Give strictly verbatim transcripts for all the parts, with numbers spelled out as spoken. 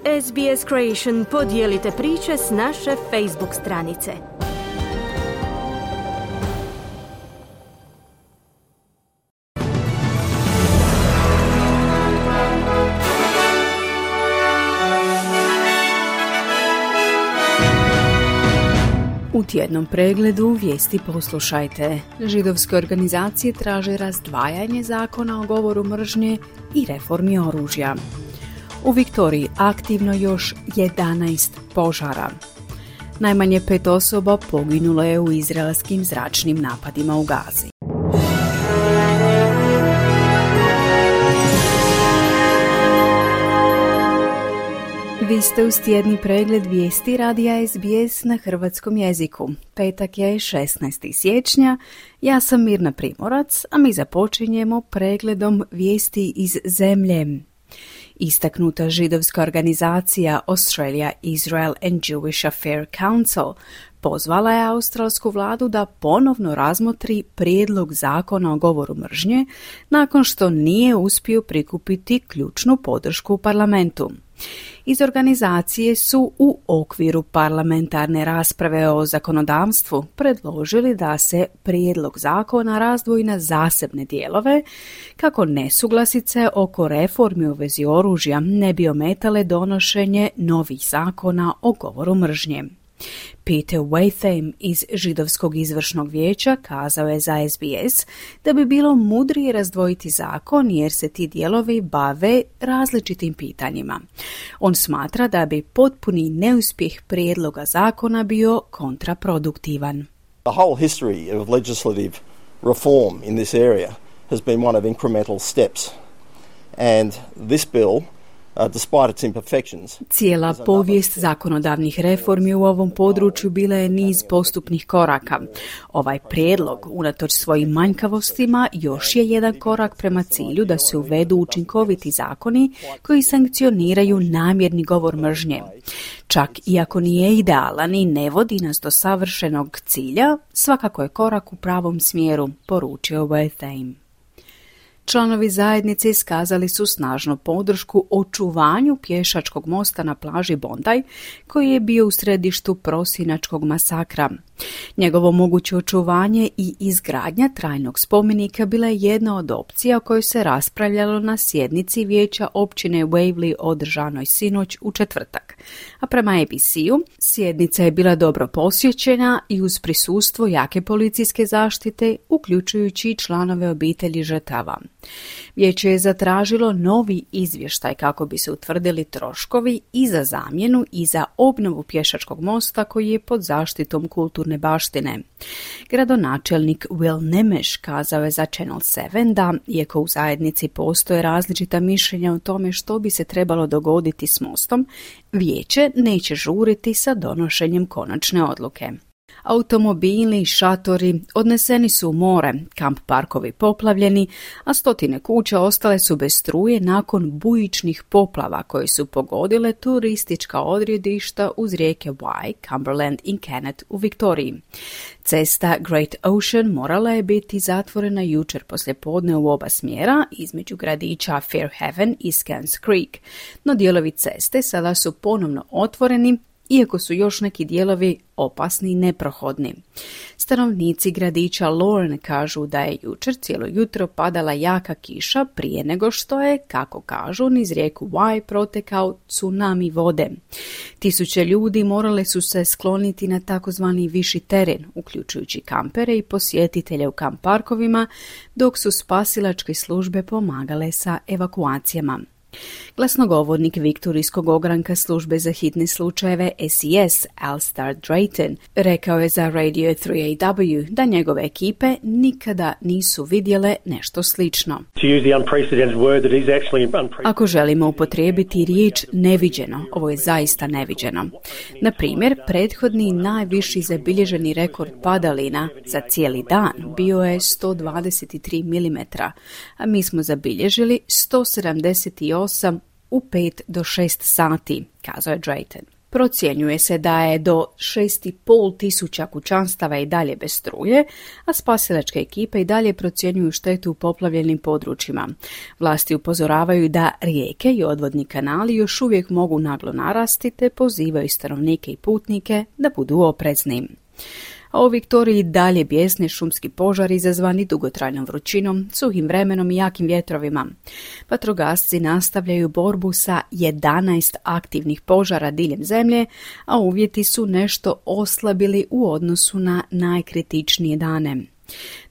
S B S Creation podijelite priče s naše Facebook stranice. U tjednom pregledu vijesti poslušajte. Židovske organizacije traže razdvajanje zakona o govoru mržnje i reformi oružja. U Viktoriji aktivno još jedanaest požara. Najmanje pet osoba poginulo je u izraelskim zračnim napadima u Gazi. Vi ste uz tjedni pregled vijesti radija S B S na hrvatskom jeziku. Petak je šesnaestog siječnja, ja sam Mirna Primorac, a mi započinjemo pregledom vijesti iz zemlje. Istaknuta židovska organizacija Australia, Israel and Jewish Affairs Council pozvala je australsku vladu da ponovno razmotri prijedlog zakona o govoru mržnje nakon što nije uspio prikupiti ključnu podršku u parlamentu. Iz organizacije su u okviru parlamentarne rasprave o zakonodavstvu predložili da se prijedlog zakona razdvoji na zasebne dijelove kako nesuglasice oko reformi u vezi oružja ne bi ometale donošenje novih zakona o govoru mržnje. Peter Watham iz Židovskog izvršnog vijeća kazao je za S B S da bi bilo mudrije razdvojiti zakon jer se ti dijelovi bave različitim pitanjima. On smatra da bi potpuni neuspjeh prijedloga zakona bio kontraproduktivan. The whole history of legislative reform in this area has been one of incremental steps. And this bill, despite its imperfections, cijela povijest zakonodavnih reformi u ovom području bila je niz postupnih koraka. Ovaj prijedlog, unatoč svojim manjkavostima, još je jedan korak prema cilju da se uvedu učinkoviti zakoni koji sankcioniraju namjerni govor mržnje. Čak i ako nije idealan i ne vodi nas do savršenog cilja, svakako je korak u pravom smjeru, poručio Watham. Članovi zajednice iskazali su snažnu podršku očuvanju pješačkog mosta na plaži Bondi, koji je bio u središtu prosinačkog masakra. Njegovo moguće očuvanje i izgradnja trajnog spomenika bila je jedna od opcija o kojoj se raspravljalo na sjednici vijeća općine Waverley održanoj sinoć u četvrtak. A prema A B C-u, sjednica je bila dobro posjećena i uz prisustvo jake policijske zaštite, uključujući članove obitelji žrtava. Vijeće je zatražilo novi izvještaj kako bi se utvrdili troškovi i za zamjenu i za obnovu pješačkog mosta koji je pod zaštitom kulturne baštine. Gradonačelnik Will Nemeš kazao je za Channel sedam da, iako u zajednici postoje različita mišljenja o tome što bi se trebalo dogoditi s mostom, vijeće neće žuriti sa donošenjem konačne odluke. Automobili i šatori odneseni su u more, kamp parkovi poplavljeni, a stotine kuća ostale su bez struje nakon bujičnih poplava koje su pogodile turistička odredišta uz rijeke Wye, Cumberland i Kennet u Viktoriji. Cesta Great Ocean morala je biti zatvorena jučer poslijepodne u oba smjera između gradića Fairhaven i Scans Creek, no dijelovi ceste sada su ponovno otvoreni, iako su još neki dijelovi opasni i neprohodni. Stanovnici gradića Lorne kažu da je jučer cijelo jutro padala jaka kiša prije nego što je, kako kažu, niz rijeku Wye protekao tsunami vode. Tisuće ljudi morale su se skloniti na takozvani viši teren, uključujući kampere i posjetitelje u kamp parkovima, dok su spasilačke službe pomagale sa evakuacijama. Glasnogovornik Viktorijskog ogranka službe za hitne slučajeve S E S, Alistair Drayton, rekao je za Radio tri A W da njegove ekipe nikada nisu vidjele nešto slično. Ako želimo upotrijebiti riječ neviđeno, ovo je zaista neviđeno. Na primjer, prethodni najviši zabilježeni rekord padalina za cijeli dan bio je sto dvadeset tri milimetra, a mi smo zabilježili sto sedamdeset osam u pet do šest sati, kazao je Drayton. Procjenjuje se da je do šest i pol tisuća kućanstava i dalje bez struje, a spasilačke ekipe i dalje procjenjuju štetu u poplavljenim područjima. Vlasti upozoravaju da rijeke i odvodni kanali još uvijek mogu naglo narasti te pozivaju stanovnike i putnike da budu oprezni. A u Viktoriji dalje bijesne šumski požari izazvani dugotrajnom vrućinom, suhim vremenom i jakim vjetrovima. Vatrogasci nastavljaju borbu sa jedanaest aktivnih požara diljem zemlje, a uvjeti su nešto oslabili u odnosu na najkritičnije dane.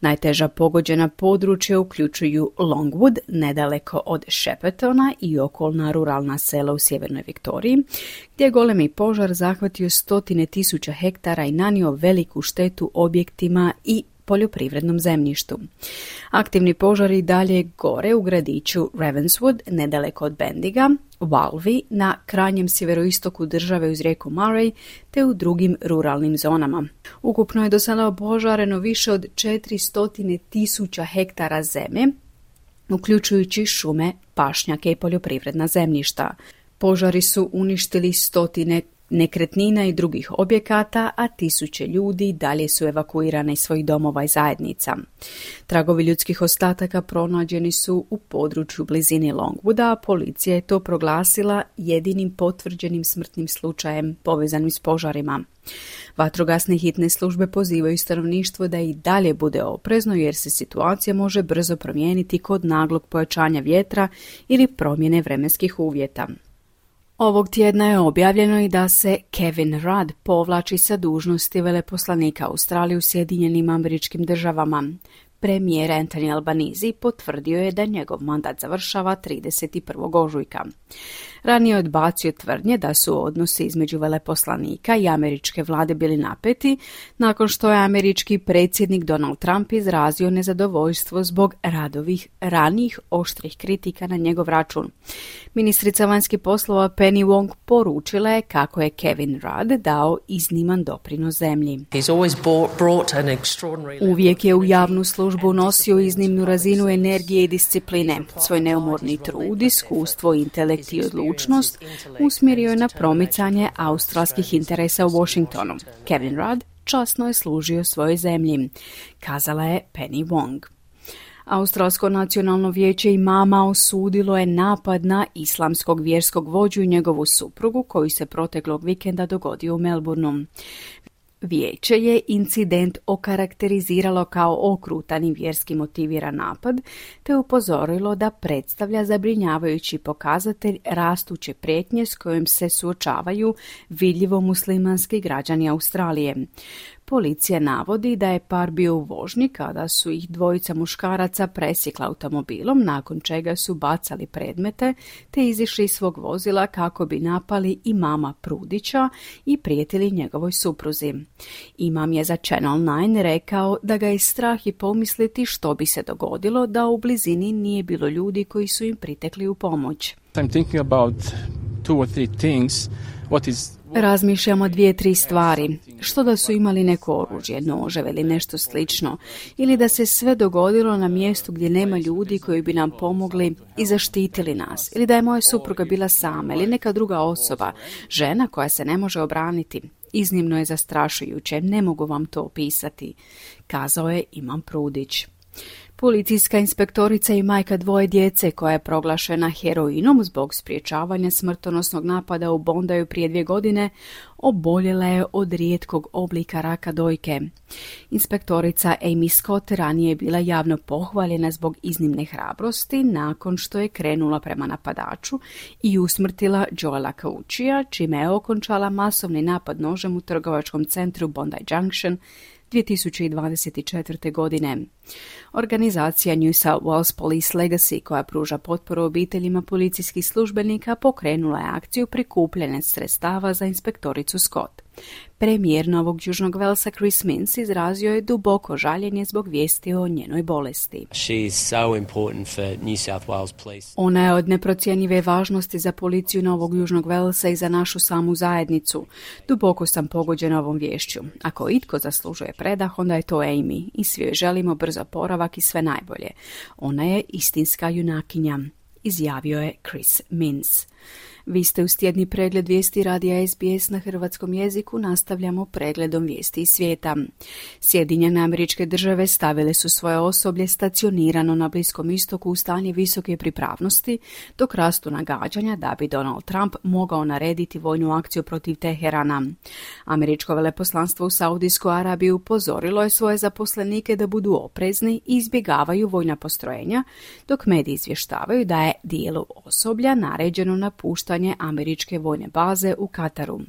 Najteža pogođena područja uključuju Longwood, nedaleko od Sheppertona i okolna ruralna sela u sjevernoj Viktoriji, gdje je golemi požar zahvatio stotine tisuća hektara i nanio veliku štetu objektima i poljoprivrednom zemljištu. Aktivni požari dalje gore u gradiću Ravenswood, nedaleko od Bendiga, Walvi na krajnjem sjeveroistoku države uz rijeku Murray, te u drugim ruralnim zonama. Ukupno je do sada opožareno više od četiristo tisuća hektara zemlje, uključujući šume, pašnjake i poljoprivredna zemljišta. Požari su uništili stotine nekretnina i drugih objekata, a tisuće ljudi dalje su evakuirane iz svojih domova i zajednica. Tragovi ljudskih ostataka pronađeni su u području blizini Longwooda, a policija je to proglasila jedinim potvrđenim smrtnim slučajem povezanim s požarima. Vatrogasne hitne službe pozivaju stanovništvo da i dalje bude oprezno jer se situacija može brzo promijeniti kod naglog pojačanja vjetra ili promjene vremenskih uvjeta. Ovog tjedna je objavljeno i da se Kevin Rudd povlači sa dužnosti veleposlanika Australije u Sjedinjenim Američkim Državama. Premijer Anthony Albanese potvrdio je da njegov mandat završava trideset prvog ožujka. Ranije je odbacio tvrdnje da su odnosi između veleposlanika i američke vlade bili napeti, nakon što je američki predsjednik Donald Trump izrazio nezadovoljstvo zbog Ruddovih ranijih oštrih kritika na njegov račun. Ministrica vanjskih poslova Penny Wong poručila je kako je Kevin Rudd dao izniman doprinos zemlji. Uvijek je u javnu službu nosio iznimnu razinu energije i discipline. Svoj neumorni trud, iskustvo, intelekt i odlučnost usmjerio je na promicanje australskih interesa u Washingtonu. Kevin Rudd časno je služio svojoj zemlji, kazala je Penny Wong. Australsko nacionalno vijeće imama osudilo je napad na islamskog vjerskog vođu i njegovu suprugu koji se proteklog vikenda dogodio u Melbourneu. Vijeće je incident okarakteriziralo kao okrutan i vjerski motiviran napad, te upozorilo da predstavlja zabrinjavajući pokazatelj rastuće prijetnje s kojim se suočavaju vidljivo muslimanski građani Australije. Policija navodi da je par bio u vožnji kada su ih dvojica muškaraca presjekla automobilom, nakon čega su bacali predmete te izišli iz svog vozila kako bi napali imama Prudića i prijetili njegovoj supruzi. Imam je za Channel devet rekao da ga je strah i pomisliti što bi se dogodilo da u blizini nije bilo ljudi koji su im pritekli u pomoć. I'm thinking about two or three things. What is Razmišljamo dvije, tri stvari. Što da su imali neko oružje, noževe ili nešto slično, ili da se sve dogodilo na mjestu gdje nema ljudi koji bi nam pomogli i zaštitili nas, ili da je moja supruga bila sama ili neka druga osoba, žena koja se ne može obraniti. Iznimno je zastrašujuće, ne mogu vam to opisati, kazao je Imam Prudić. Policijska inspektorica i majka dvoje djece koja je proglašena heroinom zbog sprječavanja smrtonosnog napada u Bondaju prije dvije godine oboljela je od rijetkog oblika raka dojke. Inspektorica Amy Scott ranije je bila javno pohvaljena zbog iznimne hrabrosti nakon što je krenula prema napadaču i usmrtila Joela Cauchija, čime je okončala masovni napad nožem u trgovačkom centru Bondi Junction dvije tisuće dvadeset četvrte. godine. Organizacija New South Wales Police Legacy, koja pruža potporu obiteljima policijskih službenika, pokrenula je akciju prikupljanja sredstava za inspektoricu Scott. Premijer Novog Južnog Velsa Chris Minns izrazio je duboko žaljenje zbog vijesti o njenoj bolesti. Ona je od neprocjenjive važnosti za policiju Novog Južnog Velsa i za našu samu zajednicu. Duboko sam pogođena ovom viješću. Ako itko zaslužuje predah, onda je to Amy i svi joj želimo brzo oporavak i sve najbolje. Ona je istinska junakinja, izjavio je Chris Minns. Vi ste uz tjedni pregled vijesti radija S B S na hrvatskom jeziku. Nastavljamo pregledom vijesti iz svijeta. Sjedinjene Američke Države stavile su svoje osoblje stacionirano na Bliskom istoku u stanje visoke pripravnosti, dok rastu nagađanja da bi Donald Trump mogao narediti vojnu akciju protiv Teherana. Američko veleposlanstvo u Saudijskoj Arabiji upozorilo je svoje zaposlenike da budu oprezni i izbjegavaju vojna postrojenja, dok mediji izvještavaju da je dijelu osoblja naređeno napuštanje američke vojne baze u Kataru.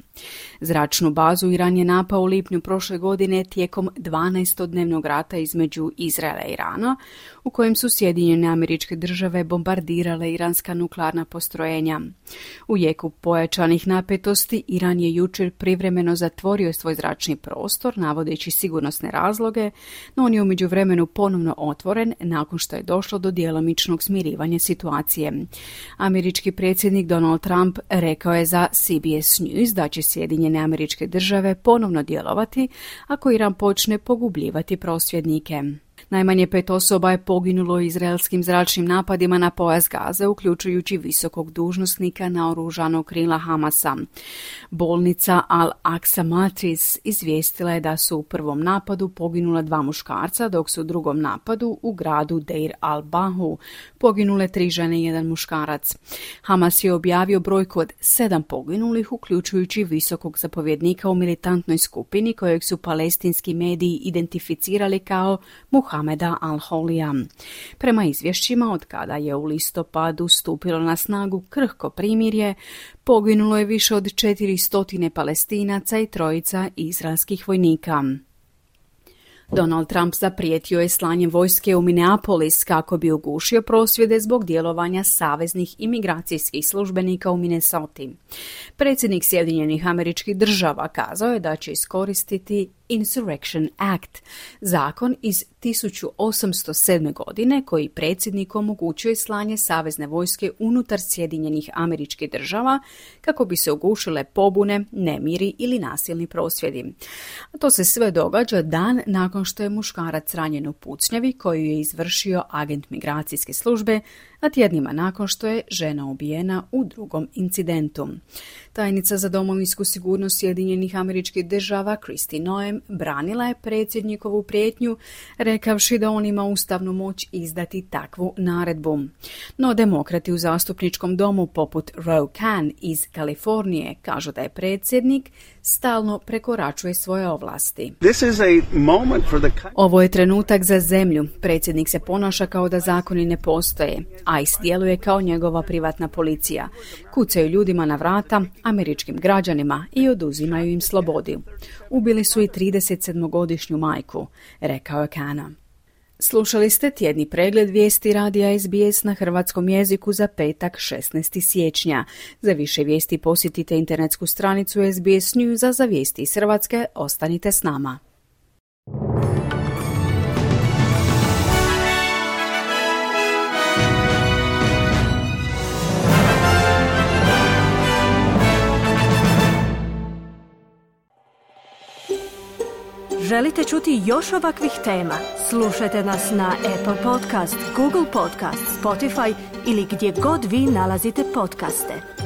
Zračnu bazu Iran je napao u lipnju prošle godine tijekom dvanaestodnevnog rata između Izraela i Irana, u kojem su Sjedinjene Američke Države bombardirale iranska nuklearna postrojenja. U jeku pojačanih napetosti Iran je jučer privremeno zatvorio svoj zračni prostor, navodeći sigurnosne razloge, no on je u međuvremenu ponovno otvoren nakon što je došlo do djelomičnog smirivanja situacije. Američki predsjednik Donald Trump rekao je za C B S News da će Sjedinjene Američke Države ponovno djelovati ako Iran počne pogubljivati prosvjednike. Najmanje pet osoba je poginulo u izraelskim zračnim napadima na pojas Gaze, uključujući visokog dužnosnika naoružanog krila Hamasa. Bolnica Al-Aqsa Matris izvijestila je da su u prvom napadu poginula dva muškarca, dok su u drugom napadu u gradu Deir al-Bahu poginule tri žene i jedan muškarac. Hamas je objavio brojku od sedam poginulih, uključujući visokog zapovjednika u militantnoj skupini kojeg su palestinski mediji identificirali kao Muhameda al-Holija. Prema izvješćima, od kada je u listopadu stupilo na snagu krhko primirje, poginulo je više od četiristo Palestinaca i trojica izraelskih vojnika. Donald Trump zaprijetio je slanjem vojske u Minneapolis kako bi ugušio prosvjede zbog djelovanja saveznih imigracijskih službenika u Minnesoti. Predsjednik Sjedinjenih Američkih Država kazao je da će iskoristiti Insurrection Act, zakon iz tisuću osamsto sedme. godine koji predsjedniku omogućuje slanje savezne vojske unutar Sjedinjenih Američkih Država kako bi se ugušile pobune, nemiri ili nasilni prosvjedi. A to se sve događa dan nakon što je muškarac ranjen u pucnjavi koju je izvršio agent migracijske službe, a tjednima nakon što je žena ubijena u drugom incidentu. Tajnica za domovinsku sigurnost Sjedinjenih Američkih Država Kristi Noem branila je predsjednikovu prijetnju, rekavši da on ima ustavnu moć izdati takvu naredbu. No demokrati u zastupničkom domu poput Ro Khanna iz Kalifornije kažu da je predsjednik stalno prekoračuje svoje ovlasti. Ovo je trenutak za zemlju. Predsjednik se ponaša kao da zakoni ne postoje. ICE djeluje kao njegova privatna policija. Kucaju ljudima na vrata, američkim građanima, i oduzimaju im slobodu. Ubili su i tridesetsedmogodišnju majku, rekao je Khanna. Slušali ste tjedni pregled vijesti radija S B S na hrvatskom jeziku za petak šesnaestog siječnja. Za više vijesti posjetite internetsku stranicu S B S News, a za vijesti iz Hrvatske ostanite s nama. Želite čuti još ovakvih tema? Slušajte nas na Apple Podcast, Google Podcast, Spotify ili gdje god vi nalazite podcaste.